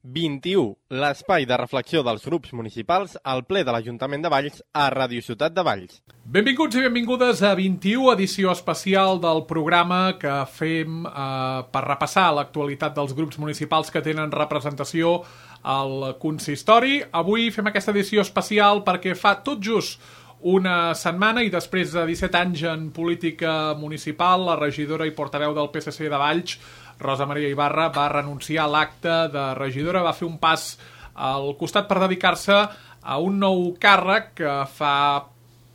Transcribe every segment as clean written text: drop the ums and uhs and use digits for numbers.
21, l'espai de reflexió dels grups municipals al ple de l'Ajuntament de Valls a Ràdio Ciutat de Valls. Benvinguts i benvingudes a 21, edició especial del programa que fem per repassar l'actualitat dels grups municipals que tenen representació al consistori. Avui fem aquesta edició especial perquè fa tot just una setmana i després de 17 anys en política municipal, la regidora i portaveu del PSC de Valls, Rosa Maria Ibarra, va renunciar a l'acte de regidora, va fer un pas al costat per dedicar-se a un nou càrrec que fa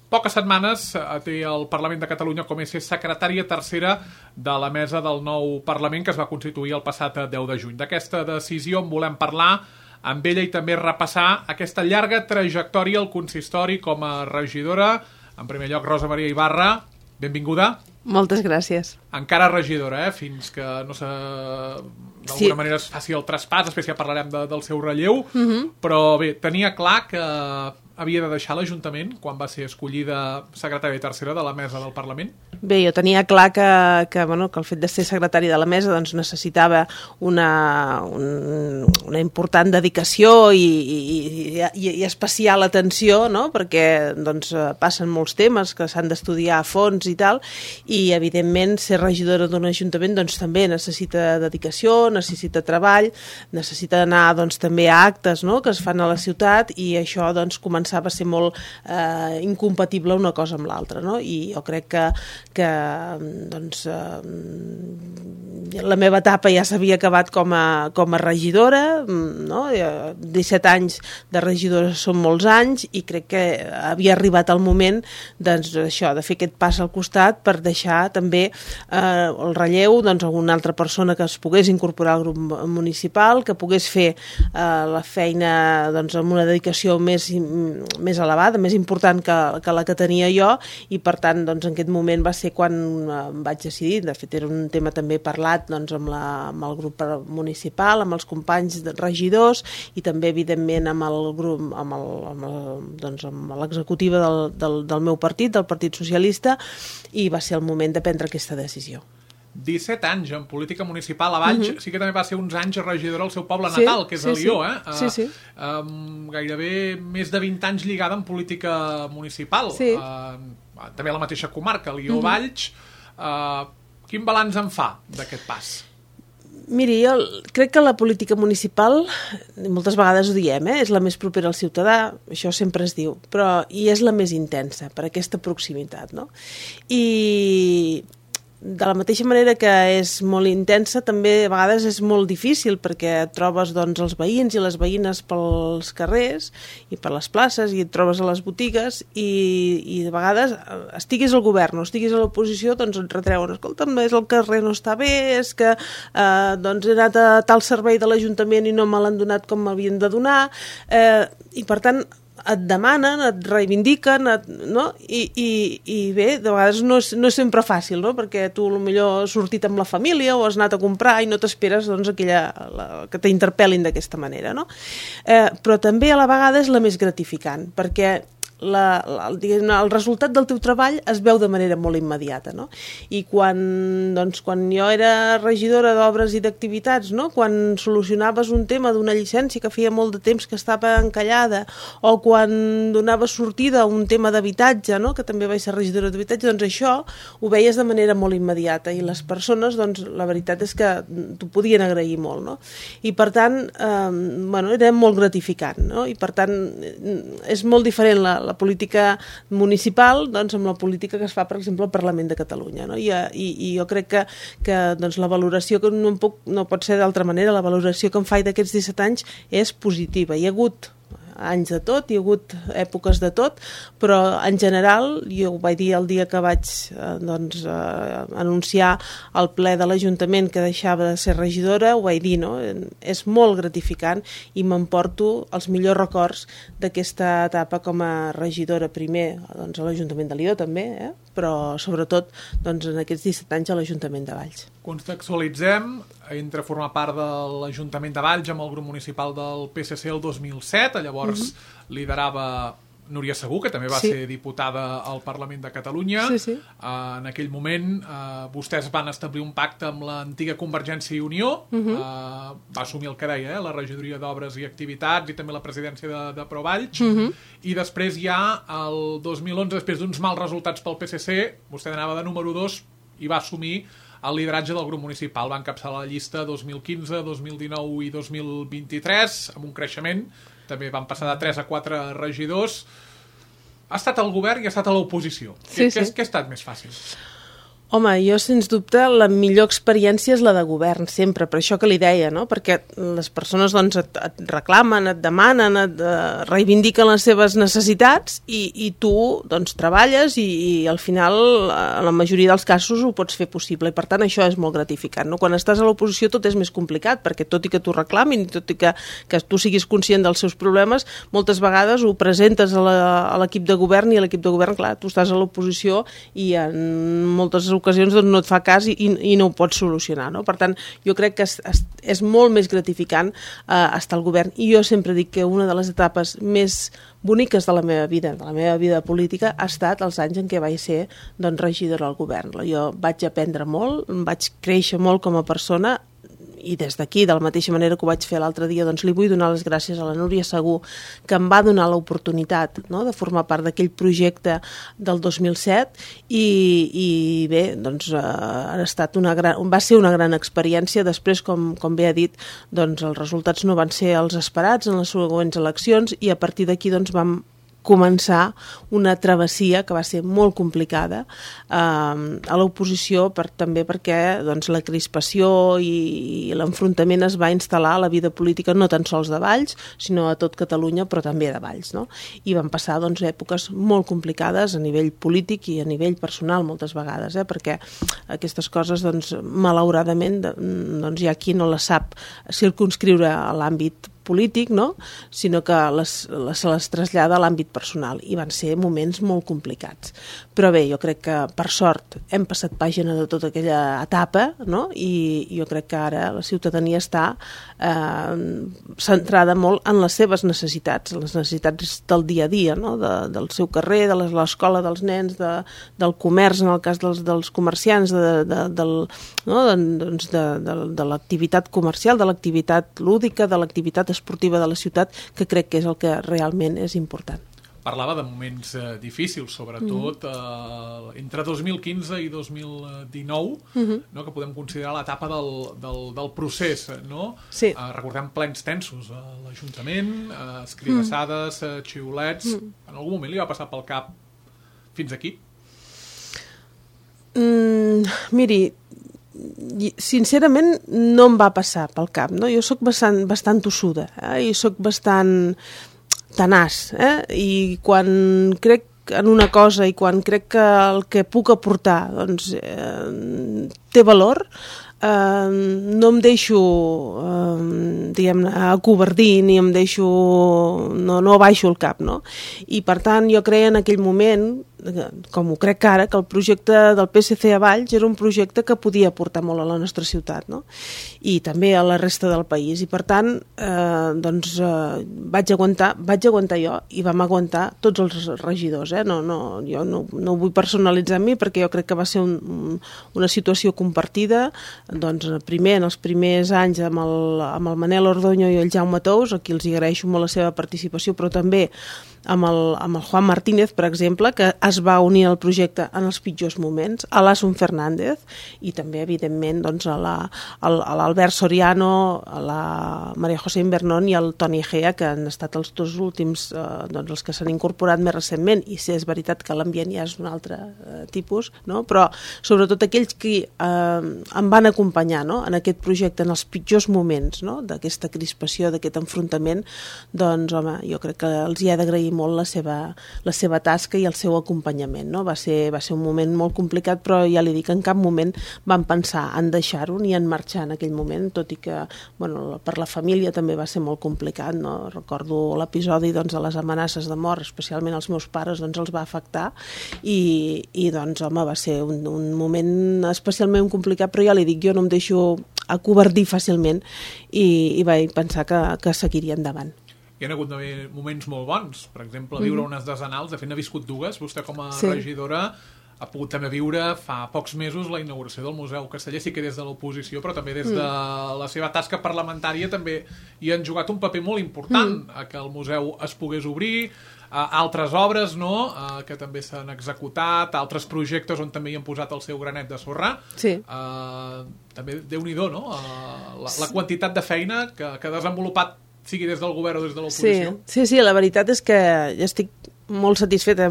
poques setmanes té el Parlament de Catalunya com a secretària tercera de la mesa del nou Parlament que es va constituir el passat 10 de juny. D'aquesta decisió en volem parlar amb ella i també repassar aquesta llarga trajectòria al consistori com a regidora. En primer lloc, Rosa Maria Ibarra, benvinguda. Moltes gràcies. Encara regidora, fins que no sé, d'alguna manera es faci el traspàs, després ja parlarem del seu relleu, però bé, tenia clar que havia de deixar l'Ajuntament quan va ser escollida secretària tercera de la mesa del Parlament? Bé, jo tenia clar que el fet de ser secretari de la mesa doncs, necessitava una important dedicació i especial atenció, no? Perquè doncs, passen molts temes que s'han d'estudiar a fons i tal, i evidentment ser regidora d'un ajuntament doncs, també necessita dedicació, necessita treball, necessita anar doncs, també a actes, no? Que es fan a la ciutat, i això doncs, començava a ser molt incompatible una cosa amb l'altra, no? I jo crec que doncs, la meva etapa ja s'havia acabat com a regidora, no? 17 anys de regidora són molts anys, i crec que havia arribat el moment doncs, això, de fer aquest pas al costat per deixar també el relleu doncs, a una altra persona que es pogués incorporar al grup municipal, que pogués fer la feina doncs, amb una dedicació més elevada, més important que la que tenia jo, i per tant doncs, en aquest moment va ser quan vaig decidir. De fet era un tema també parlat doncs, amb el grup municipal, amb els companys regidors, i també evidentment amb el grup, amb l'executiva del meu partit, del Partit Socialista, i va ser el moment de prendre aquesta decisió. 17 anys en política municipal a Valls, sí que també va ser uns anys regidora al seu poble natal, que és Alió, Sí. Gairebé més de 20 anys lligada en política municipal. Sí. També a la mateixa comarca, Alió-Valls. Quin balanç en fa d'aquest pas? Miri, jo crec que la política municipal, moltes vegades ho diem, és la més propera al ciutadà, això sempre es diu, i és la més intensa per aquesta proximitat, no? I de la mateixa manera que és molt intensa, també a vegades és molt difícil, perquè trobes doncs, els veïns i les veïnes pels carrers i per les places, i et trobes a les botigues, i de vegades estiguis al govern o estiguis a l'oposició, doncs et retreuen, escolta'm, és el carrer no està bé, és que doncs he anat a tal servei de l'Ajuntament i no me l'han donat com m'havien de donar, i per tant et demanen, et reivindiquen, no? I bé, de vegades no és sempre fàcil, no? Perquè tu potser has sortit amb la família o has anat a comprar i no t'esperes doncs, que t'interpel·lin d'aquesta manera, no? Però també a la vegada és la més gratificant, perquè el resultat del teu treball es veu de manera molt immediata, no? I quan jo era regidora d'obres i d'activitats, no? Quan solucionaves un tema d'una llicència que feia molt de temps que estava encallada, o quan donaves sortida a un tema d'habitatge, no? Que també vaig ser regidora d'habitatge, doncs això ho veies de manera molt immediata, i les persones, doncs, la veritat és que t'ho podien agrair molt, no? I per tant, era molt gratificant, no? I per tant, és molt diferent la política municipal doncs, amb la política que es fa, per exemple, al Parlament de Catalunya, no? I jo crec que doncs, la valoració que no pot ser d'altra manera, la valoració que em faig d'aquests 17 anys és positiva. Hi ha hagut anys de tot, hi ha hagut èpoques de tot, però en general, jo ho vaig dir el dia que vaig anunciar al ple de l'Ajuntament que deixava de ser regidora, ho vaig dir, no? És molt gratificant i m'emporto els millors records d'aquesta etapa com a regidora, primer doncs, a l'Ajuntament de Lió també, però sobretot doncs, en aquests 17 anys a l'Ajuntament de Valls. Contextualitzem, entre formar part de l'Ajuntament de Valls amb el grup municipal del PSC el 2007, llavors liderava Núria Segú, que també va ser diputada al Parlament de Catalunya. Sí. En aquell moment vostès van establir un pacte amb l'antiga Convergència i Unió, va assumir el que deia, la regidoria d'Obres i Activitats i també la presidència de Provalls, i després ja el 2011, després d'uns mals resultats pel PSC, vostè anava de número 2 i va assumir el lideratge del grup municipal. Va encapçalar la llista 2015, 2019 i 2023, amb un creixement. També van passar de 3 a 4 regidors. Ha estat al govern i ha estat a l'oposició. Què ha estat més fàcil? Home, jo, sens dubte, la millor experiència és la de govern, sempre, per això que li deia, no? Perquè les persones doncs, et reclamen, et demanen, et reivindiquen les seves necessitats i tu doncs, treballes i al final, en la majoria dels casos, ho pots fer possible. I per tant, això és molt gratificant. No? Quan estàs a l'oposició tot és més complicat, perquè tot i que t'ho reclamin, tot i que tu siguis conscient dels seus problemes, moltes vegades ho presentes a l'equip de govern i l'equip de govern, clar, tu estàs a l'oposició i en moltes ocasions doncs, no et fa cas i no ho pots solucionar. No? Per tant, jo crec que és molt més gratificant estar al govern. I jo sempre dic que una de les etapes més boniques de la meva vida política, ha estat els anys en què vaig ser doncs, regidora al govern. Jo vaig aprendre molt, vaig créixer molt com a persona, i des d'aquí, de la mateixa manera que ho vaig fer l'altre dia, doncs li vull donar les gràcies a la Núria Segú, que em va donar l'oportunitat, no?, de formar part d'aquell projecte del 2007 i bé, doncs va ser una gran experiència. Després, com bé ha dit, doncs els resultats no van ser els esperats en les següents eleccions i a partir d'aquí doncs vam començar una travessia que va ser molt complicada a l'oposició, també perquè doncs, la crispació i l'enfrontament es va instal·lar a la vida política no tan sols de Valls, sinó a tot Catalunya, però també de Valls. No? I van passar doncs, èpoques molt complicades a nivell polític i a nivell personal moltes vegades, perquè aquestes coses, doncs, malauradament, doncs, hi ha qui no les sap circumscriure a l'àmbit polític, no? Sinó que se les trasllada a l'àmbit personal i van ser moments molt complicats. Però bé, jo crec que per sort hem passat pàgina de tota aquella etapa, no? I jo crec que ara la ciutadania està centrada molt en les seves necessitats, les necessitats del dia a dia, no? Del seu carrer, de l'escola dels nens, del comerç, en el cas dels comerciants, de l'activitat comercial, de l'activitat lúdica, de l'activitat esportiva de la ciutat, que crec que és el que realment és important. Parlava de moments difícils, sobretot entre 2015 i 2019, no? Que podem considerar l'etapa del procés. No? Sí. Recordem plens tensos a l'Ajuntament, escridassades, xiulets. En algun moment li va passar pel cap fins aquí? Miri, sincerament no em va passar pel cap, no? Jo sóc bastant tossuda i sóc bastant tenaç, i quan crec en una cosa i quan crec que el que puc aportar doncs, té valor, no em deixo diguem-ne acovardir ni em deixo no baixo el cap, no? I per tant jo creia en aquell moment, com ho crec ara, que el projecte del PSC a Valls era un projecte que podia aportar molt a la nostra ciutat, no? I també a la resta del país, i per tant doncs vaig aguantar jo i vam aguantar tots els regidors, jo no ho vull personalitzar en mi perquè jo crec que va ser una situació compartida, doncs primer en els primers anys amb el Manel Ordonyo i el Jaume Tous, a qui els agraeixo molt la seva participació, però també amb el Juan Martínez, per exemple, que es va unir al projecte en els pitjors moments, a l'Asun Fernández i també, evidentment, doncs, a l'Albert Soriano, a la Maria José Invernón i al Toni Egea, que han estat els dos últims, doncs, els que s'han incorporat més recentment, i sí, és veritat que l'ambient ja és un altre tipus, no? Però sobretot aquells que em van acompanyar, no? En aquest projecte, en els pitjors moments, no? D'aquesta crispació, d'aquest enfrontament, doncs, home, jo crec que els hi he d'agrair molt la seva tasca i el seu acompanyament, no? Va ser un moment molt complicat, però ja li dic, en cap moment vam pensar en deixar-ho ni en marxar en aquell moment, tot i que per la família també va ser molt complicat, no? Recordo l'episodi de les amenaces de mort, especialment als meus pares, doncs els va afectar i doncs, home, va ser un moment especialment complicat, però ja li dic, jo no em deixo acovardir fàcilment i vaig pensar que seguiria endavant. hi ha hagut moments molt bons. Per exemple, viure unes desenals, de fet n'ha viscut dues. Vostè com a regidora ha pogut també viure fa pocs mesos la inauguració del Museu Casteller, sí que des de l'oposició, però també des de la seva tasca parlamentària també hi han jugat un paper molt important a que el museu es pogués obrir, altres obres que també s'han executat, altres projectes on també hi han posat el seu granet de sorra. També Déu-n'hi-do, la quantitat de feina que ha desenvolupat, sigui des del govern o des de l'oposició. Sí, la veritat és que ja estic molt satisfeta.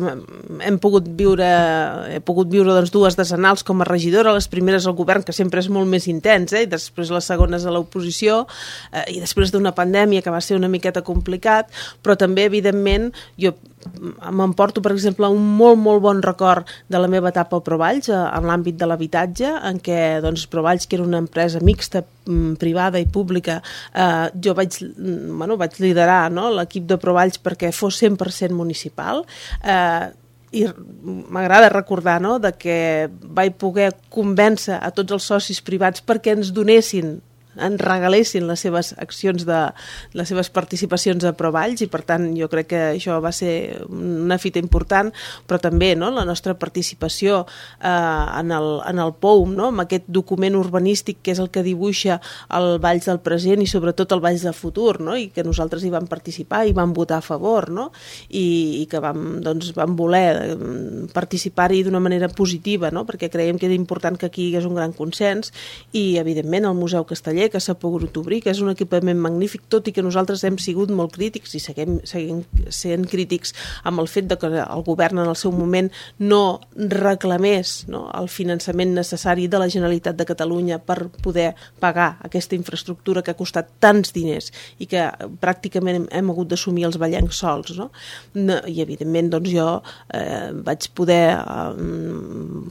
He pogut viure doncs, dues decenals com a regidora, les primeres al govern, que sempre és molt més intens, i després les segones a l'oposició, i després d'una pandèmia que va ser una miqueta complicat, però també, evidentment, jo m'emporto, per exemple, un molt, molt bon record de la meva etapa a Provalls, en l'àmbit de l'habitatge, en què doncs, Provalls, que era una empresa mixta, privada i pública, jo vaig liderar l'equip de Provalls perquè fos 100% municipal, i m'agrada recordar que vaig poder convèncer a tots els socis privats perquè ens regalessin les seves accions, les seves participacions a Provalls, i per tant jo crec que això va ser una fita important, però també la nostra participació en el POUM, amb aquest document urbanístic que és el que dibuixa el Valls del present i sobretot el Valls del futur, i que nosaltres hi vam participar i vam votar a favor, i que vam voler participar-hi d'una manera positiva, perquè creiem que era important que aquí hi hagués un gran consens, i evidentment el Museu Casteller, que s'ha pogut obrir, que és un equipament magnífic, tot i que nosaltres hem sigut molt crítics i seguim sent crítics amb el fet de que el govern en el seu moment no reclamés el finançament necessari de la Generalitat de Catalunya per poder pagar aquesta infraestructura que ha costat tants diners i que pràcticament hem hagut d'assumir els vallencs sols. I evidentment jo vaig poder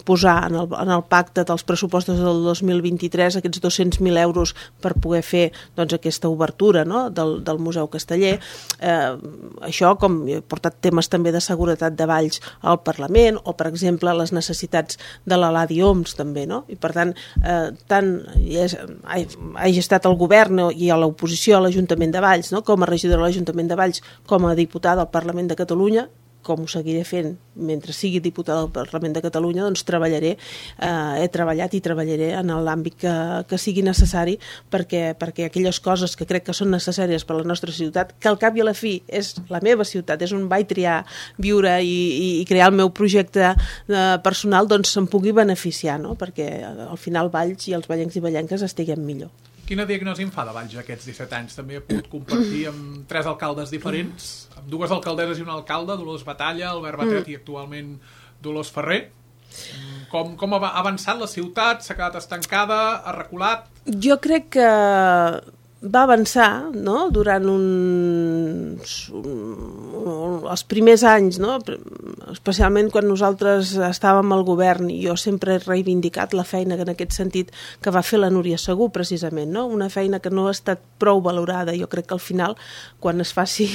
posar en el pacte dels pressupostos del 2023 aquests 200.000 euros per poder fer aquesta obertura del Museu Casteller. Això, com he portat temes també de seguretat de Valls al Parlament, o per exemple les necessitats de la Ladi Oms també, i per tant hagi estat al govern i a l'oposició a l'Ajuntament de Valls, com a regidora de l'Ajuntament de Valls, com a diputada al Parlament de Catalunya, com ho seguiré fent mentre sigui diputada del Parlament de Catalunya, doncs he treballat i treballaré en l'àmbit que sigui necessari perquè aquelles coses que crec que són necessàries per a la nostra ciutat, que al cap i a la fi és la meva ciutat, és on vaig triar viure i crear el meu projecte personal, doncs se'n pugui beneficiar, perquè al final Valls i els vallencs i vallenques estiguem millor. Quina diagnosi en fa de Valls aquests 17 anys? També he pogut compartir amb 3 alcaldes diferents, amb 2 alcaldesses i un alcalde, Dolors Batalla, Albert Batet i actualment Dolors Ferrer. Com ha avançat la ciutat? S'ha quedat estancada? Ha reculat? Jo crec que va avançar durant els primers anys, especialment quan nosaltres estàvem al govern, i jo sempre he reivindicat la feina en aquest sentit que va fer la Núria Segú, precisament, una feina que no ha estat prou valorada. Jo crec que al final, quan es faci,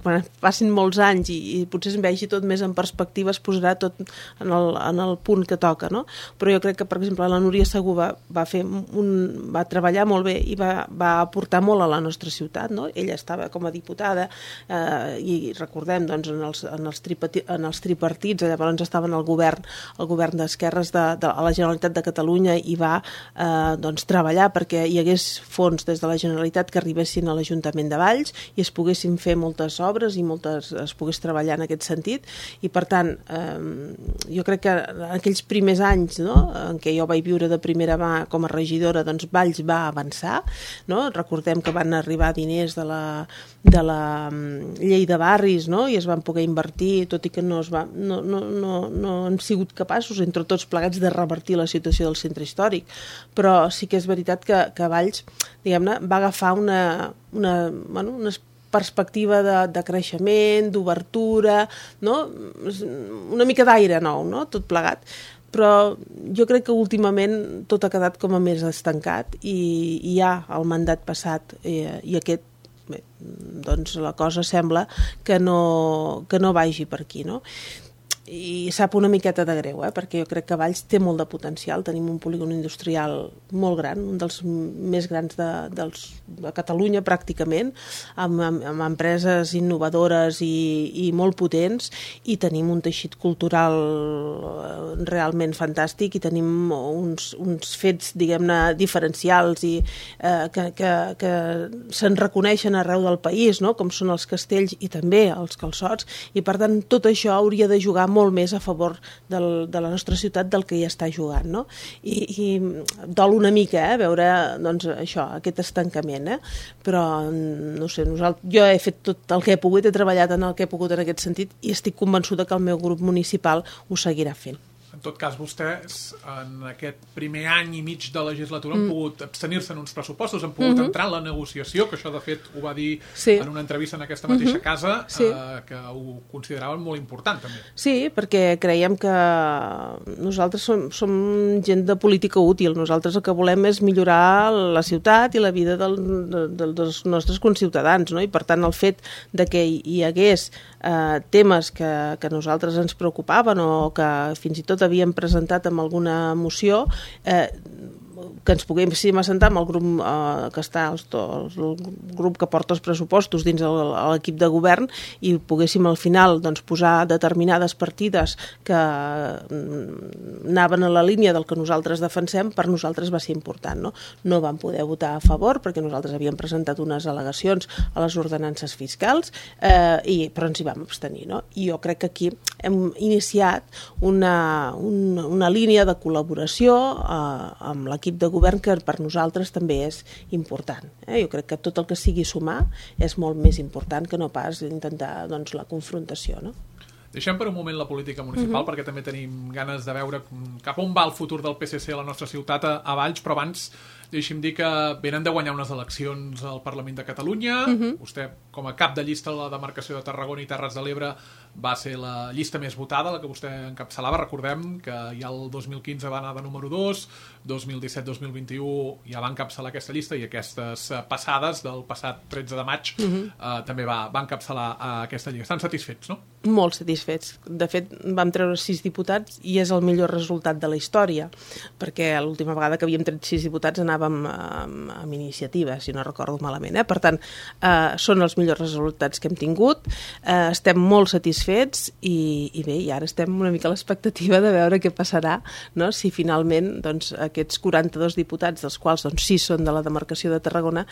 quan passin molts anys i potser es vegi tot més en perspectiva, es posarà tot en el punt que toca, però jo crec que, per exemple, la Núria Segú va treballar molt bé i va aportar molt a la nostra ciutat, Ella estava com a diputada i recordem en els tripartits, llavors estaven al govern d'esquerres a la Generalitat de Catalunya, i va treballar perquè hi hagués fons des de la Generalitat que arribessin a l'Ajuntament de Valls i es poguessin fer moltes obres i es pogués treballar en aquest sentit, i per tant jo crec que en aquells primers anys en què jo vaig viure de primera mà com a regidora, doncs Valls va avançar, recordem que van arribar diners de la llei de barris, i es van poder invertir, tot i que no han sigut capaços entre tots plegats de revertir la situació del centre històric, però sí que és veritat que Valls, diguem-ne, va agafar una perspectiva de creixement, d'obertura, una mica d'aire nou, tot plegat. Però jo crec que últimament tot ha quedat com a més estancat, i ja el mandat passat i aquest, doncs la cosa sembla que no vagi per aquí, i sap una miqueta de greu, perquè jo crec que Valls té molt de potencial. Tenim un polígon industrial molt gran, un dels més grans de Catalunya pràcticament, amb empreses innovadores i molt potents, i tenim un teixit cultural realment fantàstic, i tenim uns fets, diguem-ne, diferencials i que se'n reconeixen arreu del país, no? Com són els castells i també els calçots, i per tant tot això hauria de jugar molt més a favor de la nostra ciutat del que hi està jugant, no? I dol una mica veure doncs, això, aquest estancament, però no sé, jo he fet tot el que he pogut, he treballat en el que he pogut en aquest sentit, i estic convençuda que el meu grup municipal ho seguirà fent. En tot cas, vostès, en aquest primer any i mig de legislatura, han pogut abstenir-se en uns pressupostos, han pogut entrar en la negociació, que això, de fet, ho va dir en una entrevista en aquesta mateixa casa, que ho consideraven molt important, també. Sí, perquè creiem que nosaltres som gent de política útil. Nosaltres el que volem és millorar la ciutat i la vida dels nostres conciutadans, no? I, per tant, el fet de que hi hagués temes que a nosaltres ens preocupaven o que fins i tot havíem presentat amb alguna moció, que ens poguéssim assentar amb el grup que està el grup que porta els pressupostos dins l'equip de govern, i poguéssim al final doncs, posar determinades partides que anaven a la línia del que nosaltres defensem, per nosaltres va ser important, no? No vam poder votar a favor perquè nosaltres havíem presentat unes al·legacions a les ordenances fiscals, però ens hi vam abstenir, no? I jo crec que aquí hem iniciat una línia de col·laboració amb l'equip de govern, que per nosaltres també és important. Jo crec que tot el que sigui sumar és molt més important que no pas intentar doncs, la confrontació, no? Deixem per un moment la política municipal, perquè també tenim ganes de veure cap on va el futur del PSC a la nostra ciutat, a Valls, però abans deixi'm dir que venen de guanyar unes eleccions al Parlament de Catalunya. Vostè, com a cap de llista a la demarcació de Tarragona i Terres de l'Ebre, va ser la llista més votada, la que vostè encapçalava. Recordem que ja el 2015 va anar de número 2, 2017-2021 ja va encapçalar aquesta llista, i aquestes passades del passat 13 de maig també va encapçalar aquesta llista. Estan satisfets, no? Molt satisfets. De fet, vam treure 6 diputats i és el millor resultat de la història, perquè l'última vegada que havíem tret 6 diputats anàvem amb iniciativa, si no recordo malament. Per tant, són els millors resultats que hem tingut. Estem molt satisfets i bé, i ara estem una mica a l'expectativa de veure què passarà, no? Si finalment doncs, aquests 42 diputats, dels quals doncs, 6 són de la demarcació de Tarragona,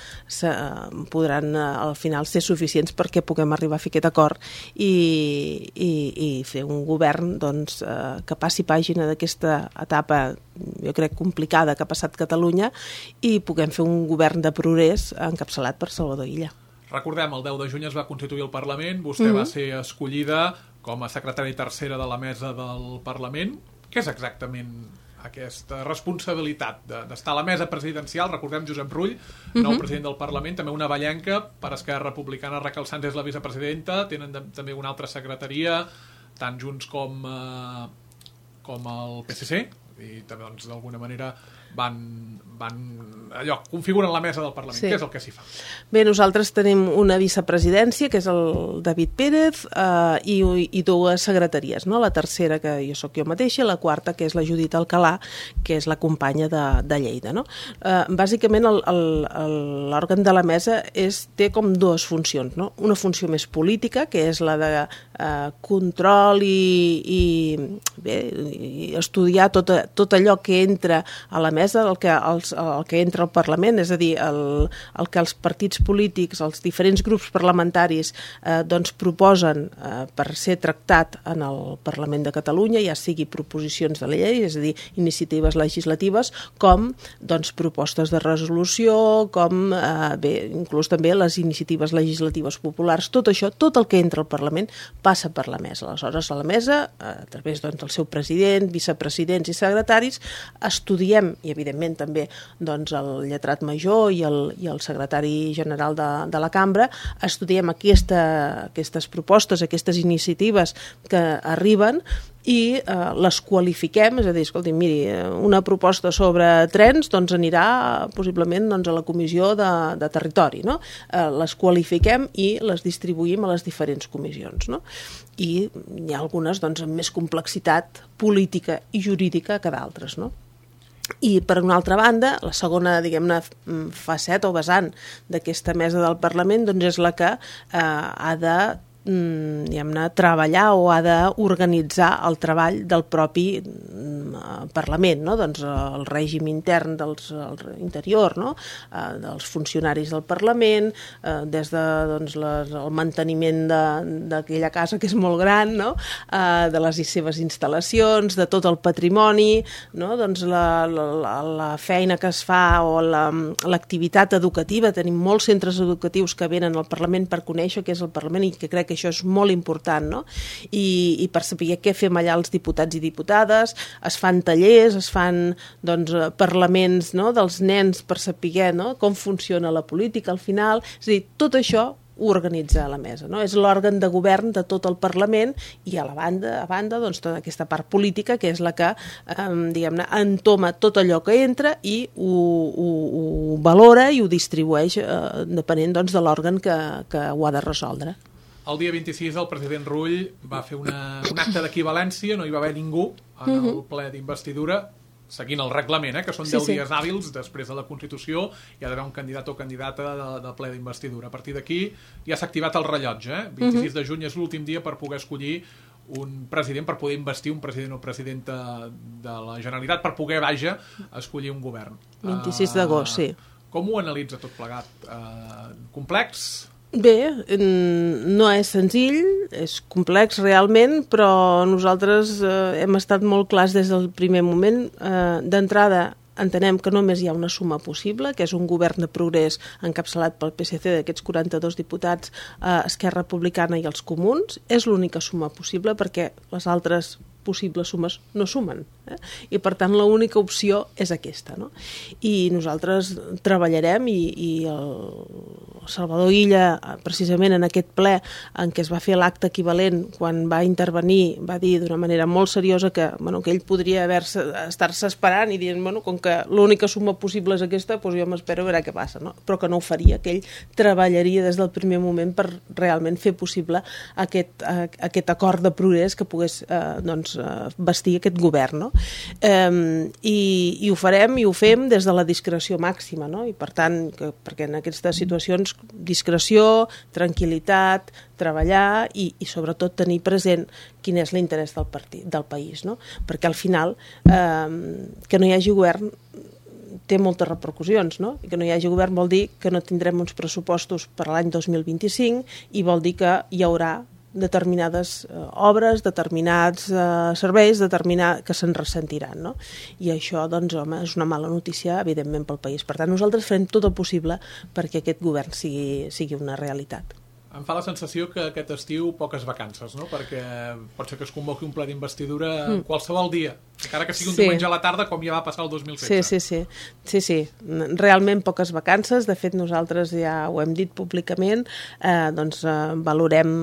podran al final ser suficients perquè puguem arribar a fer aquest acord i fer un govern doncs, que passi pàgina d'aquesta etapa, jo crec, complicada que ha passat Catalunya, i puguem fer un govern de progrés encapçalat per Salvador Illa. Recordem, el 10 de juny es va constituir el Parlament, vostè va ser escollida com a secretària tercera de la mesa del Parlament. Què és exactament aquesta responsabilitat d'estar a la mesa presidencial? Recordem Josep Rull, nou president del Parlament, també una vallenca per Esquerra Republicana, Raquel Sans és la vicepresidenta, tenen també una altra secretaria, tant Junts com el PSC, i també doncs, d'alguna manera configuren la mesa del Parlament. Sí. Què és el que s'hi fa? Bé, nosaltres tenim una vicepresidència, que és el David Pérez, i 2 secretaries, no? La tercera, que jo sóc jo mateixa, i la quarta, que és la Judit Alcalà, que és la companya de Lleida, no? Bàsicament, l'òrgan de la mesa té com 2 funcions, no? Una funció més política, que és la de control i estudiar tot allò que entra a la mesa, el que entra al Parlament, és a dir, el que els partits polítics, els diferents grups parlamentaris doncs proposen per ser tractat en el Parlament de Catalunya, ja sigui proposicions de llei, és a dir, iniciatives legislatives, com doncs, propostes de resolució, com inclús també les iniciatives legislatives populars. Tot això, tot el que entra al Parlament passa per la mesa. Aleshores, a la mesa, a través doncs, del seu president, vicepresidents i secretaris, estudiem, i evidentment també doncs, el lletrat major i el secretari general de la cambra, estudiem aquestes propostes, aquestes iniciatives que arriben, i les qualifiquem, és a dir, escolti, miri, una proposta sobre trens doncs anirà possiblement doncs, a la comissió de territori, no? Les qualifiquem i les distribuïm a les diferents comissions, no? I hi ha algunes doncs, amb més complexitat política i jurídica que d'altres, no? I per una altra banda, la segona, diguem-ne, faceta o vessant d'aquesta mesa del Parlament doncs és la que ha de diguem-ne, treballar o ha d'organitzar el treball del propi Parlament, no? Doncs el règim intern interior, no? Dels funcionaris del Parlament, des de doncs, el manteniment d'aquella casa que és molt gran, no? De les seves instal·lacions, de tot el patrimoni, no? Doncs la feina que es fa o l'activitat educativa. Tenim molts centres educatius que venen al Parlament per conèixer què és el Parlament i que crec que això és molt important, no? I per saber què fem allà els diputats i diputades, es fan tallers, es fan doncs, parlaments, no? Dels nens per saber, no? Com funciona la política al final, és a dir, tot això ho organitza la mesa, no? És l'òrgan de govern de tot el Parlament i a banda doncs, tota aquesta part política que és la que diguem-ne entoma tot allò que entra i ho valora i ho distribueix depenent doncs, de l'òrgan que ho ha de resoldre. El dia 26 el president Rull va fer un acte d'equivalència, no hi va haver ningú en el ple d'investidura, seguint el reglament, que són 10 dies hàbils després de la Constitució, hi ha d'haver un candidat o candidata de ple d'investidura. A partir d'aquí ja s'ha activat el rellotge. 26 de juny és l'últim dia per poder escollir un president, per poder investir un president o presidenta de la Generalitat, per poder, escollir un govern. 26 d'agost, sí. Com ho analitza tot plegat? Complex? Bé, no és senzill, és complex realment, però nosaltres hem estat molt clars des del primer moment. D'entrada, entenem que només hi ha una suma possible, que és un govern de progrés encapçalat pel PSC d'aquests 42 diputats, Esquerra Republicana i els Comuns. És l'única suma possible perquè les altres possibles sumes no sumen. I per tant l'única opció és aquesta, no? I nosaltres treballarem i el Salvador Illa, precisament en aquest ple en què es va fer l'acte equivalent, quan va intervenir, va dir d'una manera molt seriosa que ell podria estar-se esperant i dient, com que l'única suma possible és aquesta, doncs jo m'espero a veure què passa, no? Però que no ho faria, que ell treballaria des del primer moment per realment fer possible aquest acord de progrés que pogués vestir aquest govern, no? I ho farem i ho fem des de la discreció màxima, no? I per tant, perquè en aquestes situacions discreció, tranquil·litat, treballar i sobretot tenir present quin és l'interès del país, no? Perquè al final que no hi hagi govern té moltes repercussions, no? I que no hi hagi govern vol dir que no tindrem uns pressupostos per l'any 2025 i vol dir que hi haurà determinades obres, determinats serveis que se'n ressentiran, no? I això, doncs, home, és una mala notícia, evidentment, pel país. Per tant, nosaltres farem tot el possible perquè aquest govern sigui una realitat. Em fa la sensació que aquest estiu poques vacances, no? Perquè pot ser que es convoqui un ple d'investidura qualsevol dia, encara que sigui un diumenge a la tarda, com ja va passar el 2016. Sí. Realment poques vacances. De fet, nosaltres ja ho hem dit públicament, valorem,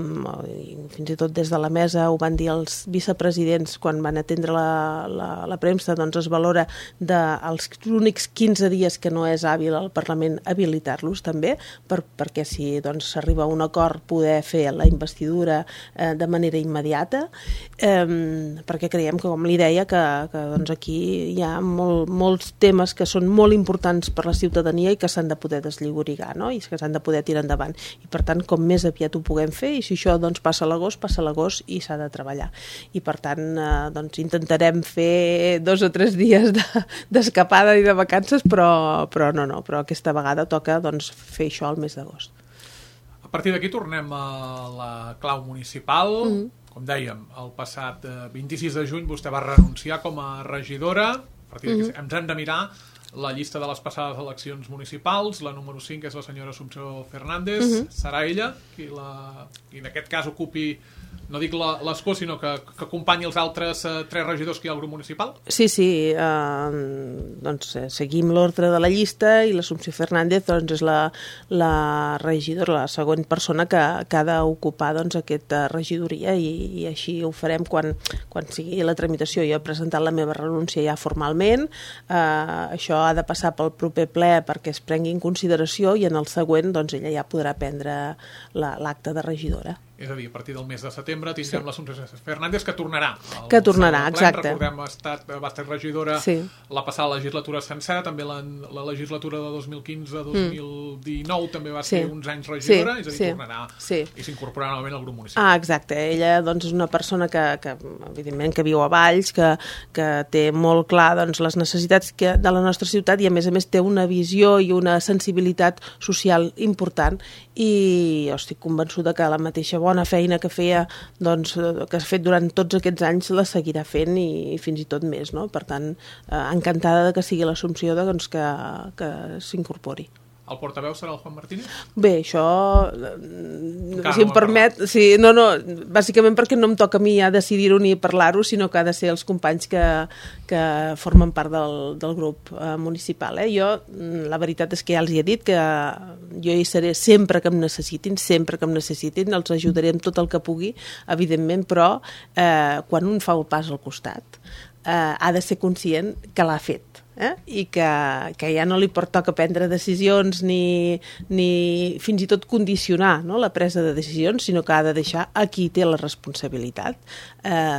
fins i tot des de la mesa ho van dir els vicepresidents quan van atendre la premsa, doncs es valora dels únics 15 dies que no és hàbil al Parlament habilitar-los també, perquè si s'arriba a un acord poder fer la investidura de manera immediata, perquè creiem que, com li deia, que aquí hi ha molts temes que són molt importants per la ciutadania i que s'han de poder deslliurigar, no? I que s'han de poder tirar endavant. I per tant, com més aviat ho puguem fer, i si això passa a l'agost i s'ha de treballar. I per tant, intentarem fer 2 o 3 dies d'escapada i de vacances, però aquesta vegada toca fer això al mes d'agost. A partir d'aquí tornem a la clau municipal. Com dèiem, el passat 26 de juny vostè va renunciar com a regidora. A partir d'aquí ens hem de mirar la llista de les passades eleccions municipals. La número 5 és la senyora Assumpció Fernández. Serà ella qui en aquest cas ocupi no dic l'escó, sinó que acompanyi els altres 3 regidors que hi ha al grup municipal? Sí, doncs seguim l'ordre de la llista i l'Assumpció Fernández doncs, és la regidora, la següent persona que ha d'ocupar doncs, aquesta regidoria i així ho farem quan sigui la tramitació. Jo he presentat la meva renúncia ja formalment, això ha de passar pel proper ple perquè es prengui en consideració i en el següent doncs, ella ja podrà prendre l'acte de regidora. És a dir, a partir del mes de setembre tindrem l'Assumpció Fernández que tornarà. Exacte. Recordem, va estar regidora la passada legislatura sencera, també la legislatura de 2015-2019 també va ser uns anys regidora, és a dir, tornarà i s'incorporarà novament al grup municipal. Exacte. Ella doncs, és una persona que evidentment, que viu a Valls, que té molt clar doncs, les necessitats de la nostra ciutat i, a més té una visió i una sensibilitat social important i jo estic convençuda que la mateixa bona feina que feia, doncs, que ha fet durant tots aquests anys la seguirà fent i fins i tot més, no? Per tant, encantada de que sigui l'Assumpció doncs, que s'incorpori. El portaveu serà el Juan Martínez? Bé, això, si em permet, bàsicament perquè no em toca a mi ja decidir-ho ni parlar-ho, sinó que ha de ser els companys que formen part del grup municipal. Jo, la veritat és que ja els he dit que jo hi seré sempre que em necessitin, els ajudaré amb tot el que pugui, evidentment, però quan un fa el pas al costat, ha de ser conscient que l'ha fet. I que ja no li toca prendre decisions ni fins i tot condicionar la presa de decisions, sinó que ha de deixar a qui té la responsabilitat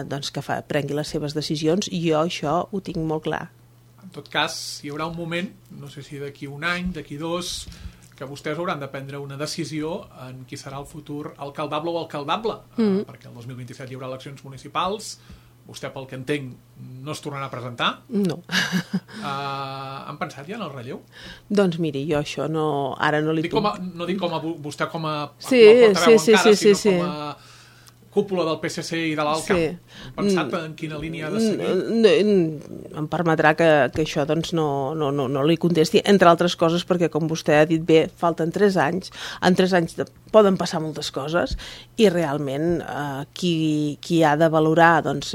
doncs que prengui les seves decisions i jo això ho tinc molt clar. En tot cas, hi haurà un moment, no sé si d'aquí un any, d'aquí 2, que vostès hauran de prendre una decisió en qui serà el futur alcaldable o alcaldable, perquè el 2027 hi haurà eleccions municipals. Vostè, pel que entenc, no es tornarà a presentar? No. Han pensat ja en el relleu? Doncs miri, jo això ara no li puc... No dic com a vostè com a portaveu encara, sinó com a cúpula del PSC i de l'ALCA. Han pensat en quina línia ha de seguir? Em permetrà que això doncs, no li contesti, entre altres coses, perquè, com vostè ha dit bé, falten 3 anys. En 3 anys poden passar moltes coses i realment qui ha de valorar doncs,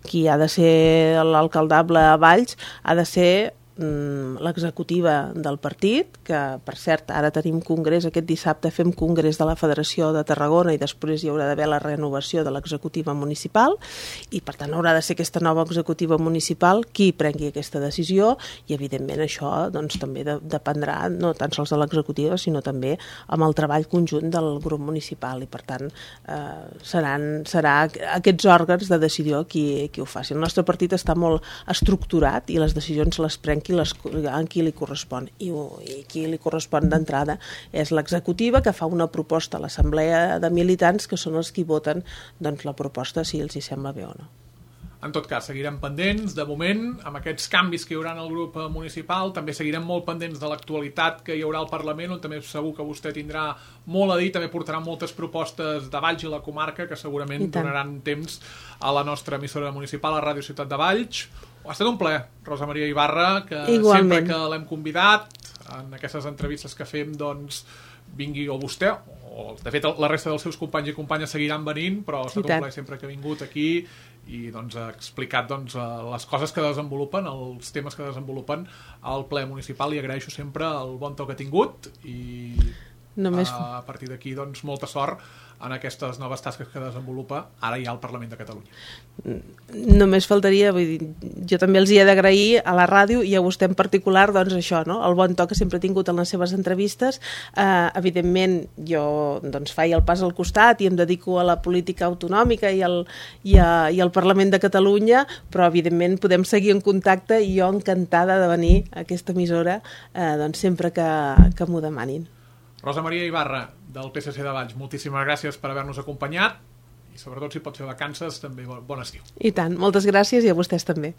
qui ha de ser l'alcaldable a Valls ha de ser l'executiva del partit, que per cert ara tenim congrés, aquest dissabte fem congrés de la Federació de Tarragona i després hi haurà d'haver la renovació de l'executiva municipal i per tant haurà de ser aquesta nova executiva municipal qui prengui aquesta decisió i evidentment això doncs, també dependrà no tan sols de l'executiva sinó també amb el treball conjunt del grup municipal i per tant serà aquests òrgans de decisió qui ho faci. El nostre partit està molt estructurat i les decisions les pren a qui li correspon i qui li correspon d'entrada és l'executiva que fa una proposta a l'assemblea de militants que són els qui voten doncs, la proposta si els hi sembla bé o no. En tot cas, seguirem pendents, de moment, amb aquests canvis que hi haurà en el grup municipal, també seguirem molt pendents de l'actualitat que hi haurà al Parlament, on també segur que vostè tindrà molt a dir, també portarà moltes propostes de Valls i la comarca que segurament donaran temps a la nostra emissora municipal, a Ràdio Ciutat de Valls. Ha estat un plaer, Rosa Maria Ibarra, que sempre que l'hem convidat, en aquestes entrevistes que fem, doncs, vingui o vostè, o de fet la resta dels seus companys i companyes seguiran venint, però ha estat un plaer sempre que ha vingut aquí i doncs, ha explicat doncs, les coses que desenvolupen, els temes que desenvolupen al ple municipal i agraeixo sempre el bon to que ha tingut i a partir d'aquí doncs, molta sort en aquestes noves tasques que desenvolupa ara ja al Parlament de Catalunya. Només faltaria, vull dir, jo també els hi he d'agrair a la ràdio i a vostè en particular doncs això, no? El bon to que sempre he tingut en les seves entrevistes. Evidentment jo doncs, faig el pas al costat i em dedico a la política autonòmica i al Parlament de Catalunya, però evidentment podem seguir en contacte i jo encantada de venir a aquesta emissora doncs, sempre que m'ho demanin. Rosa Maria Ibarra, del PSC de Valls, moltíssimes gràcies per haver-nos acompanyat i sobretot si pot fer vacances també bon estiu. I tant, moltes gràcies i a vostès també.